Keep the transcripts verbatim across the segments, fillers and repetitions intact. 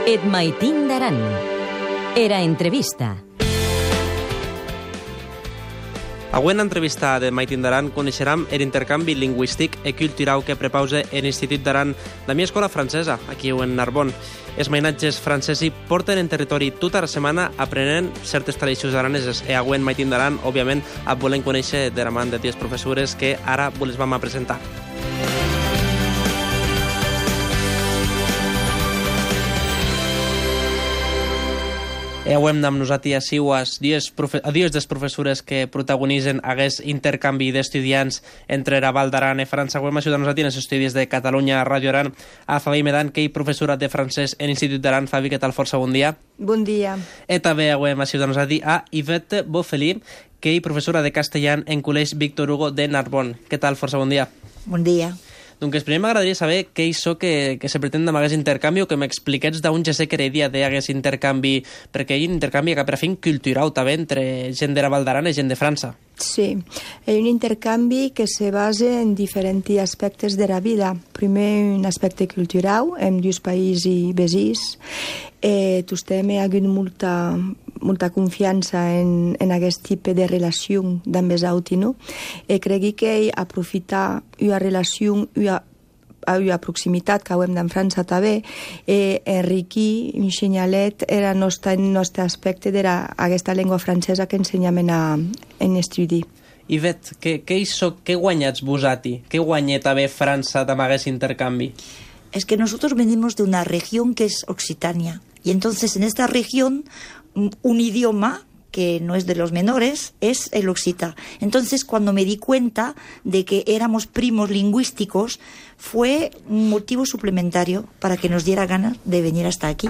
Et maitin d'aran. Era entrevista. Avui en l'entrevista de Maitin d'Aran coneixerem l'intercanvi lingüístic i cultural que prepausa l'Institut d'Aran, la meva escola francesa, aquí en Narbonne. Els mainatges francesos porten en territori tota la setmana aprenent certes tradicions araneses. I avui en Maitin d'Aran, òbviament, et volem conèixer de la mà de ties professores que ara les vam a presentar. E avui amb nosaltres ací els dies, profe a dies des professores que protagonitzen aquest intercanvi d'estudiants entre la Val d'Aran i França. Avui hem ajudat nosaltres en els estudis de Catalunya, Ràdio Aran, a Fabi Medan, que és professora de francès en l'Institut d'Aran. Fabi, què tal? Força bon dia. Bon dia. I també avui hem ajudat nosaltres a Yvette Beaufely, que és professora de castellà en Col·legi Víctor Hugo de Narbonne. Què tal? Força bon dia. Bon dia. Doncs primer m'agradaria saber què és això que, que se pretén amb aquest intercanvi, o que m'expliquets d'on ja sé que era idea d'aquest intercanvi, perquè hi ha un intercanvi que per fin cultural també entre gent de la Val d'Aran i gent de França. Sí, és un intercanvi que se basa en diferents aspectes de la vida. Primer, un aspecte cultural, amb dos països veïns. Eh, Tostem ha hagut molta, molta confiança en, en aquest tipus de relació amb els altres, no? I crec que aprofitar una relació, una a una proximitat que hem d'en França també, eh, enriquir un senyalet era el nostre, nostre aspecte d'aquesta llengua francesa que ensenyem en, a, en estudi. Yvette, què, què, això, què guanyats vosaltres? Què guanya també França amb aquest intercanvi? Es que nosotros venimos de una región que es Occitania, y entonces en esta región un idioma que no es de los menores, es el occita. Entonces, cuando me di cuenta de que éramos primos lingüísticos, fue un motivo suplementario para que nos diera ganas de venir hasta aquí.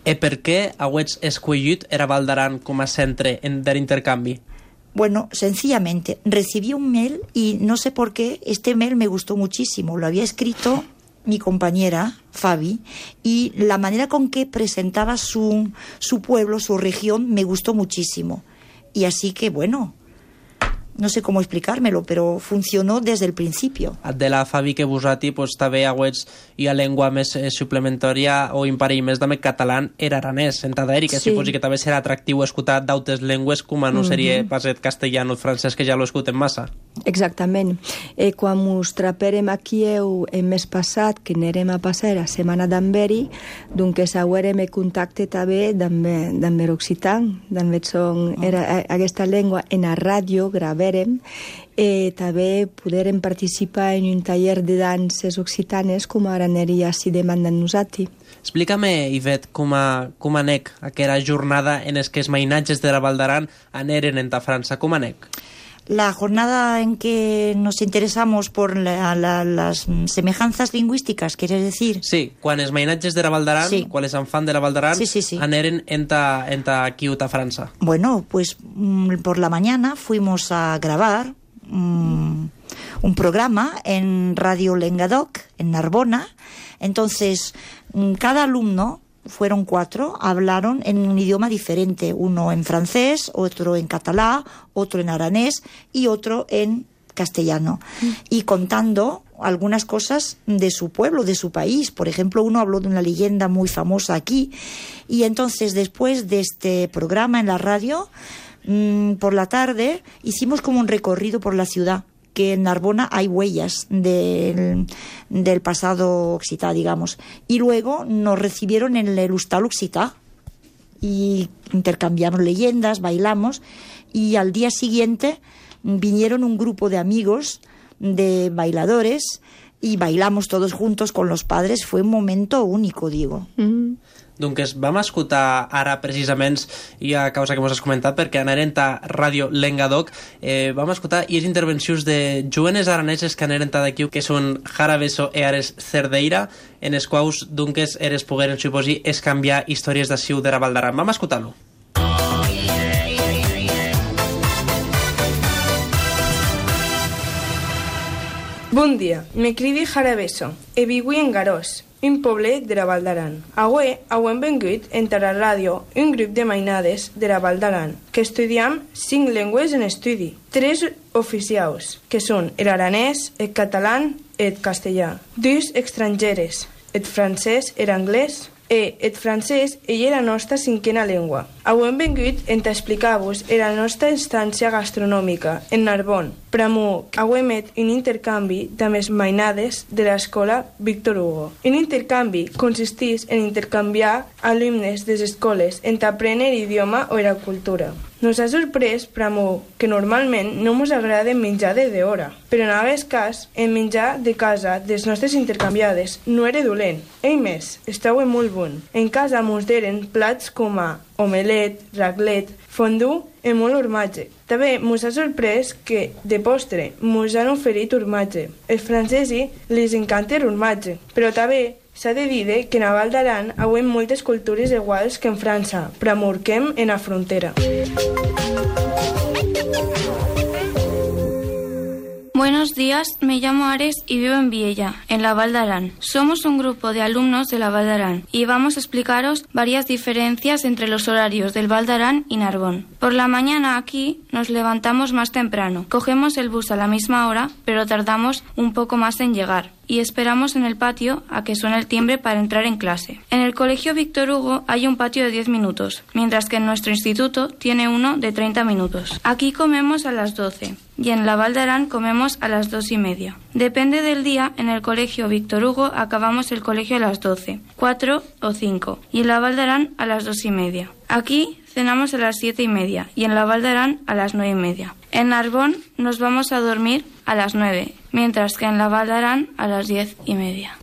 ¿Y por qué habéis escogido era Val d'Aran como centre del intercambio? Bueno, sencillamente, recibí un mail y no sé por qué, este mail me gustó muchísimo. Lo había escrito mi compañera, Fabi, y la manera con que presentaba su, su pueblo, su región, me gustó muchísimo. Y así que, bueno, no sé cómo explicármelo, pero funcionó desde el principio. De la Fabi que vosaltres pues, també agüets i a llengua més eh, suplementària o imparell més també català era aranès, en Taderi, que sí. Suposo que també serà atractiu escoltar d'altres llengües com no seria mm -hmm. pas el castellà o el francès, que ja lo escolten massa. Exactament. Eh, quan ens traperem aquí el mes passat, que anirem a passar la setmana d'Amberi, doncs haurem en contacte també amb l'occitan, amb aquesta llengua en la ràdio, gravarem, i també podrem participar en un taller de danses occitanes com ara aniria si demanden nosaltres. Explica'm, Yvette, com, a, com anec aquella jornada en què els mainatges de la Val d'Aran aneren en ta França. Com anec? La jornada en que nos interesamos por la, la, las semejanzas lingüísticas, ¿quieres decir? Sí, quan els mainatges de la Val d'Aran, sí. Quan els enfants de la Val d'Aran, sí, sí, sí. aneren en ta, en ta aquí a França. Bueno, pues por la mañana fuimos a grabar um, un programa en Radio Lengadoc, en Narbona. Entonces, cada alumno, fueron cuatro, hablaron en un idioma diferente, uno en francés, otro en catalán, otro en aranés y otro en castellano, mm. y contando algunas cosas de su pueblo, de su país. Por ejemplo, uno habló de una leyenda muy famosa aquí, y entonces después de este programa en la radio, mmm, por la tarde hicimos como un recorrido por la ciudad, que en Narbona hay huellas del, del pasado occitá, digamos. Y luego nos recibieron en el Hostal Occità y intercambiamos leyendas, bailamos, y al día siguiente vinieron un grupo de amigos, de bailadores, y bailamos todos juntos con los padres. Fue un momento único, digo. Mm-hmm. Doncs vam escoltar ara precisament, i a causa que mos has comentat, perquè anaren a Ràdio Lengadoc, eh, vam escoltar i les intervencions de jovenes araneses que anaren d'aquí, que són Jara Beso i Ares Cerdeira, en els quals doncs eres pogueren, suposi, es canviar històries d'ací de la Val d'Aran. Vam escoltar-lo. Bon dia, me crido Jara Beso e vivo en Garós, un poblet de la Val d'Aran. Avui hem vengut entre la ràdio un grup de mainades de la Val d'Aran que estudiem cinc llengües en estudi, tres oficials, que són l'aranès, el català i el castellà, dos estrangeres, el francès, l'anglès E el francès ell era la nostra cinquena llengua. Avui hem vingut a explicar-vos la nostra instància gastronòmica en Narbon. Pramo, avui hem fet un intercanvi de les mainades de l'escola Víctor Hugo. Un intercanvi consisteix en intercanviar alumnes de les escoles en aprendre idioma o la cultura. Nos ha sorprès, Pramo, que normalment no ens agrada menjar de d'hora, però en aquest cas, el menjar de casa dels nostres intercanviades no era dolent. Ei més, estava molt bon. En casa ens deren plats com a omelet, raclet, fondue i molt formatge. També ens ha sorprès que, de postre, ens han oferit formatge. Els francesos les encanta el formatge, però també s'ha de dir que en la Val d'Aran hi ha moltes cultures iguals que en França, però morquem en la frontera. Buenos días, me llamo Ares y vivo en Viella, en la Val d'Aran. Somos un grupo de alumnos de la Val d'Aran y vamos a explicaros varias diferencias entre los horarios del Val d'Aran y Narbón. Por la mañana aquí nos levantamos más temprano, cogemos el bus a la misma hora, pero tardamos un poco más en llegar y esperamos en el patio a que suene el timbre para entrar en clase. En el colegio Víctor Hugo hay un patio de diez minutos, mientras que en nuestro instituto tiene uno de treinta minutos. Aquí comemos a las doce y en la Val d'Aran comemos a las dos y media. Depende del día, en el colegio Víctor Hugo acabamos el colegio a las doce, cuatro o cinco y en la Val d'Aran a las dos y media. Aquí cenamos a las siete y media y en la Val d'Aran a las nueve y media. En Narbón nos vamos a dormir a las nueve, mientras que en la Val d'Aran a las diez y media.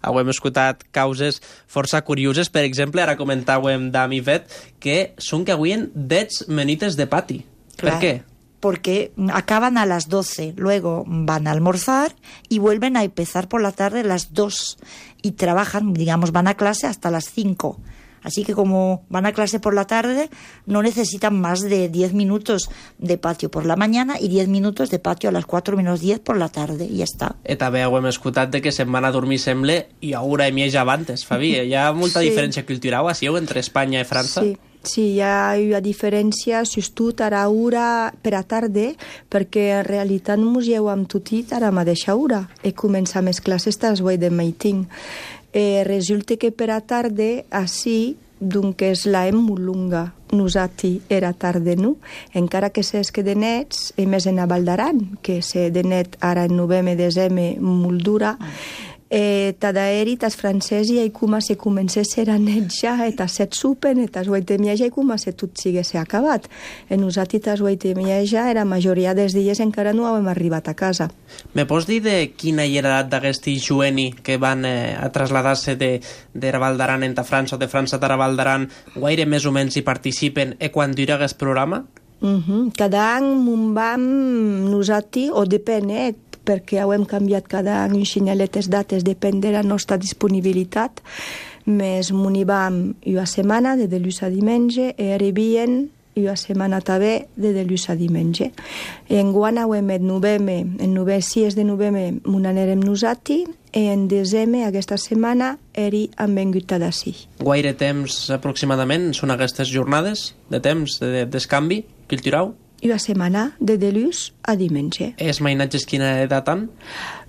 Avui hem escoltat causes força curioses. Per exemple, ara comentàvem d'Ami Vet que són que avui en dez menites de pati. Claro. ¿Per qué? Porque acaban a las doce, luego van a almorzar y vuelven a empezar por la tarde a las dos y trabajan, digamos, van a clase hasta las cinco. Así que como van a clase por la tarde, no necesitan más de diez minutos de patio por la mañana y diez minutos de patio a las cuatro menos diez por la tarde, y ya está. I també ho hem escoltat de que se'n van a dormir, sembla, i a hora i mitja abans, Fabi. Hi ha molta sí. diferència cultural, així, entre Espanya i França? Sí. Sí, hi ha una diferència, justament a l'hora per a tarda, perquè en realitat ens llevem tots a la mateixa hora i començam les classes a les vuit del matí. Eh, resulta que per a tarda, així, doncs la hem molt longa. Nosaltres era tarda, no? Encara que s'és que de nets, i més en la Val d'Aran, que se de net ara en novembre, desembre, molt dura, Eh, tada eri tas francesi ai kuma se comença a ser a net ja et a set supen et as vuit i ja i kuma se tot sigue se acabat en nosaltres tas vuit i ja era majoria dels dies encara no hem arribat a casa. Me pots dir de quina hi era l'edat d'aquesti jueni que van eh, a traslladar-se de, de Val d'Aran a França o de França a Val d'Aran, guaire més o menys hi participen i quan dura aquest programa? Uh-huh. Cada any m'on vam nosaltres, o depèn, eh, perquè ho hem canviat cada any un xinyalet les dates, depèn de la nostra disponibilitat, més m'hi vam una setmana de dilluns a diumenge i arribien una setmana també de dilluns a diumenge. En guana ho hem fet novembre, en novembre, sis de novembre m'ho anirem nosaltres i en desembre aquesta setmana eri han vengut a d'ací. Guaire temps aproximadament són aquestes jornades de temps de descanvi cultural? Una setmana de dilluns a diumenge. Els mainatges quina edat han?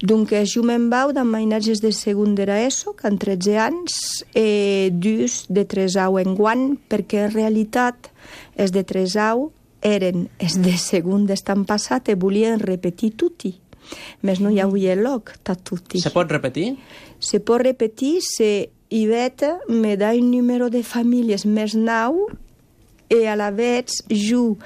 Donc jo me'n vau de mainatges de segon de l'ESO, que han tretze anys, i dus de tres anys en guany, perquè en realitat els de tres anys eren els de segon d'estan passat i volien repetir tutti. Més no hi havia lloc, tot tutti. Se pot repetir? Se pot repetir si Iveta me da un número de famílies més nou i a la vegada jo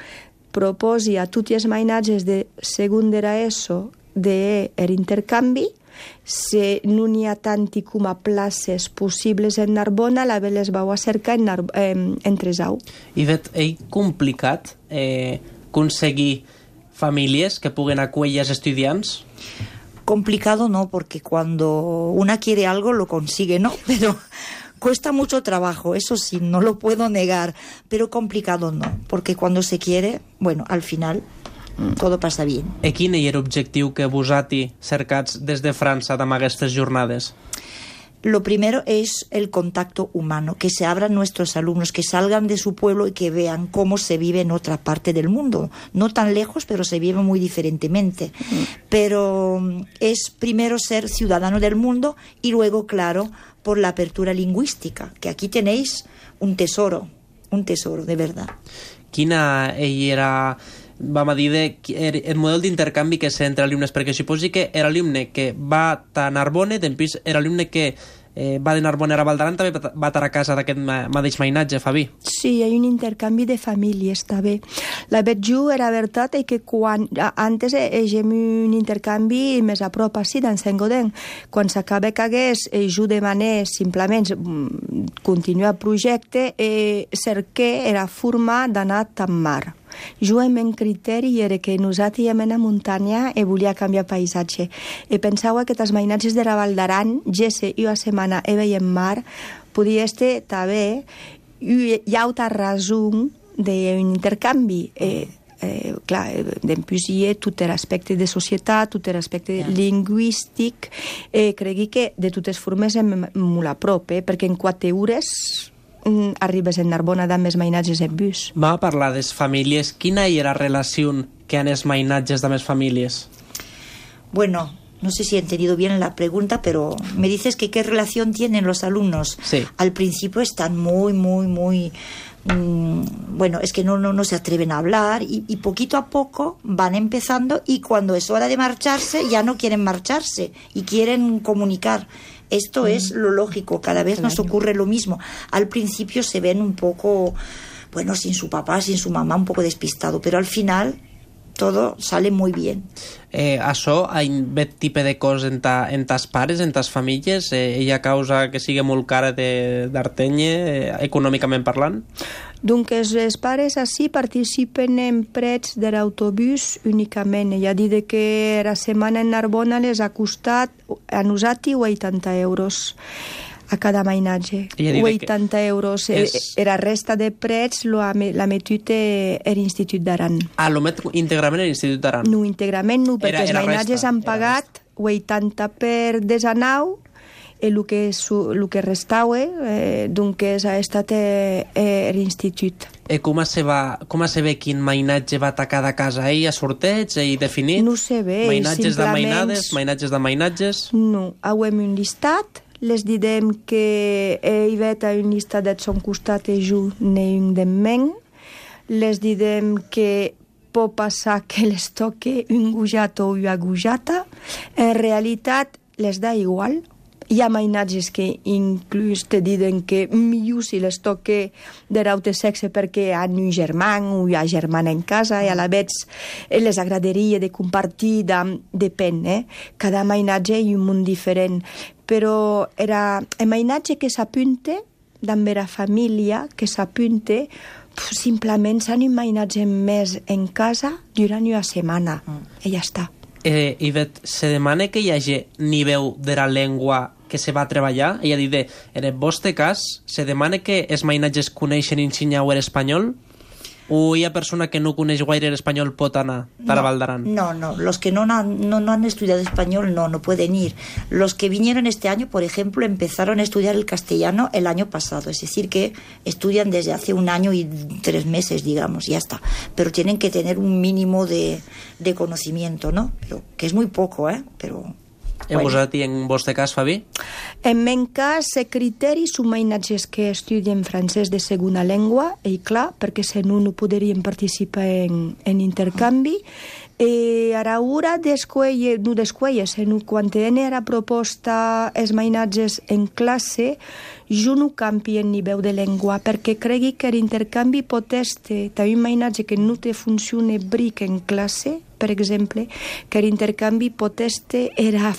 proposi a tots els mainatges de segon de l'ESO d'intercanvi, si no n'hi ha tant com a places possibles en Narbona, la les vau a cercar en, Nar en, en Tresau. I és complicat eh, aconseguir famílies que puguen acollir els estudiants? Complicado no, porque cuando una quiere algo lo consigue, ¿no? Pero cuesta mucho trabajo, eso sí, no lo puedo negar, pero complicado no, porque cuando se quiere, bueno, al final todo pasa bien. I quin era l'objectiu que vosaltres cercats des de França amb aquestes jornades? lo primero es el contacto humano, que se abran nuestros alumnos, que salgan de su pueblo y que vean cómo se vive en otra parte del mundo. No tan lejos, pero se vive muy diferentemente. Mm. Pero es primero ser ciudadano del mundo y luego, claro, por la apertura lingüística, que aquí tenéis un tesoro, un tesoro, de verdad. Quina era... vam a dir de, el model d'intercanvi que sé entre alumnes, perquè suposi que l'alumne que va a Narbona, després l'alumne que eh, va de Narbona a Valdaran també va estar a casa d'aquest mateix mainatge, Fabi. Sí, hi ha un intercanvi de famílies, també. La veig jo, era veritat, que quan antes hagem un intercanvi més a prop, així, d'en Saint-Gaudens. Quan s'acaba que hagués, jo demané simplement continuar el projecte, eh, cerqué era forma d'anar a Tammar. Jo el meu criteri era que nosaltres íem a la muntanya i volia canviar paisatge. I pensava que els mainatges de la Val d'Aran, gesse i una setmana i veiem mar, podia estar també hi ha altra raó d'un intercanvi. Eh, eh, clar, després hi ha tot l'aspecte de societat, tot l'aspecte yeah. lingüístic. Eh, crec que de totes formes és molt a prop, eh, perquè en quatre hores arribes a Narbona amb els mainatges en bus. Va a parlar de les famílies. Quina era la relació que han els mainatges amb les famílies? Bueno, no sé si he entendido bien la pregunta, pero me dices que qué relación tienen los alumnos. Sí. Al principio están muy, muy, muy... Mmm, bueno, es que no, no, no se atreven a hablar y, y poquito a poco van empezando y cuando es hora de marcharse ya no quieren marcharse y quieren comunicar. Esto mm. es lo lógico, cada vez nos ocurre lo mismo. Al principio se ven un poco, bueno, sin su papá, sin su mamá, un poco despistado, pero al final todo sale muy bien. Eh, això ha aquest tipus de coses en, ta, en tas pares, en tas famílies, eh, ella causa que sigui molt cara d'Arteny, eh, econòmicament parlant? Donc els pares així participen en prets de l'autobús únicament. Ella ha dit que la setmana en Narbona les ha costat a nosaltres vuitanta euros a cada mainatge. vuitanta euros. És... La resta de prets l'ha metut a l'Institut d'Aran. Ah, l'ho met íntegrament a l'Institut d'Aran? No, íntegrament no, perquè era, era els mainatges resta, han pagat vuitanta per desanau i el que, el que restava eh, doncs ha estat a, a l'Institut. I com se, va, com se ve quin mainatge va a cada casa? Ell a sorteig, ell definit? No se ve. Mainatges simplement... de mainades, mainatges de mainatges? No, hem un llistat, les direm que hi va a un llistat de son costat i jo n'hi un de men, les direm que pot passar que les toque un gujat o una gujata, en realitat les da igual. Hi ha mainatges que inclús te diuen que millor si les toque de l'altre sexe perquè han un germà o hi ha germana en casa i a la vegada les agradaria de compartir, de, depèn, eh? Cada mainatge hi ha un món diferent. Però era el mainatge que s'apunta, també la família que s'apunta, simplement s'han un mainatge més en casa durant una setmana i ja està. Eh, Ivet, se demana que hi hagi nivell de la llengua que se va treballar? Ella dit, en el vostre cas, se demana que els mainatges coneixen i ensenyeu l'espanyol? ¿O hay persona que no coneix gaire el español pot anar a la Val d'Aran? No, no, los que no, no, no han estudiado español no, no pueden ir. Los que vinieron este año, por ejemplo, empezaron a estudiar el castellano el año pasado, es decir, que estudian desde hace un año y tres meses, digamos, ya está. Pero tienen que tener un mínimo de, de conocimiento, ¿no? Pero, que es muy poco, ¿eh? Pero... I bueno. Vosaltres, en vostre cas, Fabi? En meu cas, el criteri són mainatges que estudien francès de segona llengua, i clar, perquè si no, no podrien participar en, en intercanvi. E a l'hora d'escollir, no d'escollir, sinó quan tenen la proposta els mainatges en classe, jo no canvi el nivell de llengua, perquè crec que l'intercanvi pot estar, també un mainatge que no te funciona bric en classe, per exemple, que l'intercanvi pot estar era,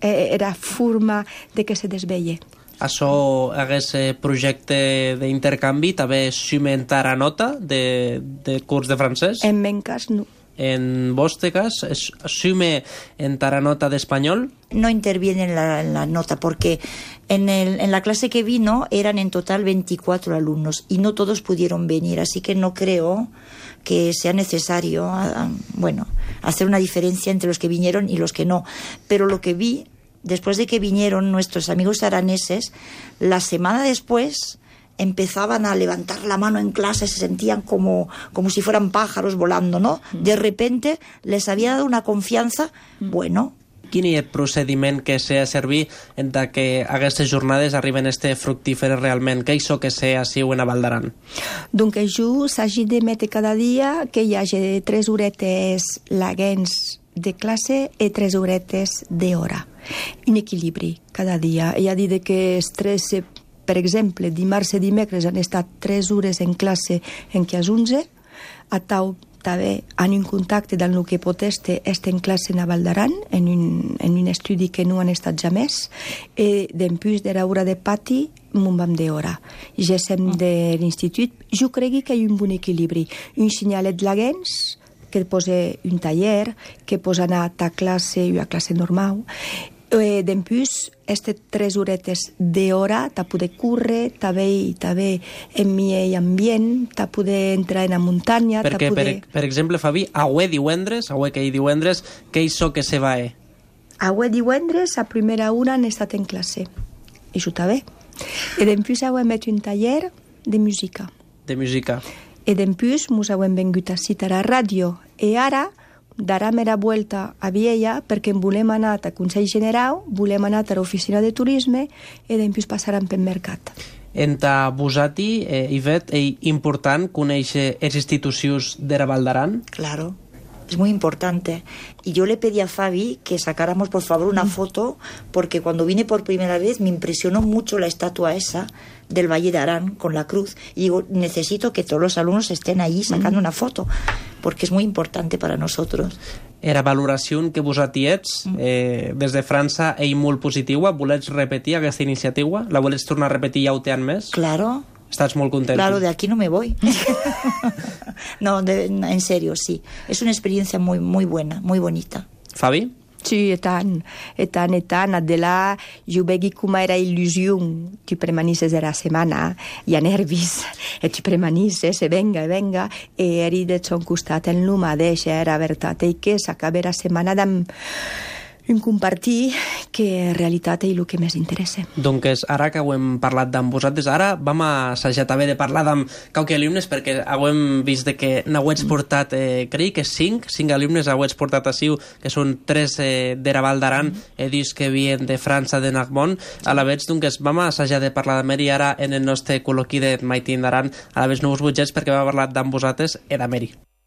era forma de que se desveia. Això, aquest projecte d'intercanvi, també sumentar a nota de, de curs de francès? En meu cas, no. En vostre cas, sume en taranota de español? No interviene en la, en la nota, porque en, el, en la clase que vino eran en total veinticuatro alumnos y no todos pudieron venir, así que no creo que sea necesario, bueno, hacer una diferencia entre los que vinieron y los que no. Pero lo que vi, después de que vinieron nuestros amigos araneses, la semana después empezaban a levantar la mano en clase, se sentían como, como si fueran pájaros volando, ¿no? De repente les había dado una confianza, bueno. Quin és el procediment que s'ha de servir entre que aquestes jornades arriben a ser fructíferes realment? Què és que s'ha siu en a Val d'Aran? Donc, jo s'hagi de metre cada dia que hi hagi tres horetes laguens de classe i tres horetes d'hora. Un equilibri cada dia. Hi ha dit que els tres, per exemple, dimarts i dimecres han estat tres hores en classe en què és onze, a tau també han un contacte dans el que pot estar en classe a Val d'Aran, en un, en un estudi que no han estat jamais, i després de l'hora de pati m'ho vam d'hora. Ja som de l'institut. Jo crec que hi ha un bon equilibri. Un signalet laguens, que posa un taller, que posa anar a ta classe i a classe normal. Eh, Després, aquestes tres horetes d'hora, t'ha poder córrer, també també en mi ambient, t'ha poder entrar en la muntanya... Perquè, poder... per, per exemple, Fabi, avui divendres, avui que hi divendres, què és que se va? Eh? Avui divendres, a primera hora, han estat en classe. I això també. I després avui hem fet un taller de música. De música. I després ens hem vingut a citar a ràdio. I ara darem la volta a Viella perquè volem anar al Consell General, volem anar a l'oficina de turisme i després passarem pel mercat. Entre vosaltres, eh, Ivet, és important conèixer les institucions de la Val d'Aran? Claro, es muy importante. Y yo le pedí a Fabi que sacáramos por favor una foto, porque cuando vine por primera vez me impresionó mucho la estatua esa del Valle de Arán con la cruz. Y digo, necesito que todos los alumnos estén allí sacando una foto, porque es muy importante para nosotros. Era valoració que vosaltres eh, des de França és molt positiva. Volets repetir aquesta iniciativa? La volets tornar a repetir ja ho té més? Claro. Estás muy contento. Claro, de aquí no me voy. No, de, en serio, sí. Es una experiencia muy, muy buena, muy bonita. Fabi? Sí, i tant, i tant, i tant. De là, jo veig com era il·lusió. Tu premanisses era setmana, hi ha nervis, i tu premanisses, i venga, i venga, i eri de son costat el no mateix, era veritat, i que s'acaba la setmana amb un compartir que en realitat és el que més interessa. Doncs ara que ho hem parlat d'amb vosaltres, ara vam assajar també de parlar d'amb qualque alumnes, perquè ho hem vist de que n'hauets portat, eh, crec que cinc, cinc alumnes n'hauets portat ací, que són tres eh, de la Val d'Aran, he dit que vien de França, de Narbonne, a la vegada doncs vam assajar de parlar de Meri ara en el nostre col·loqui de Maitin d'Aran, a la vegada no us butgets perquè vam parlar d'amb vosaltres i de Meri.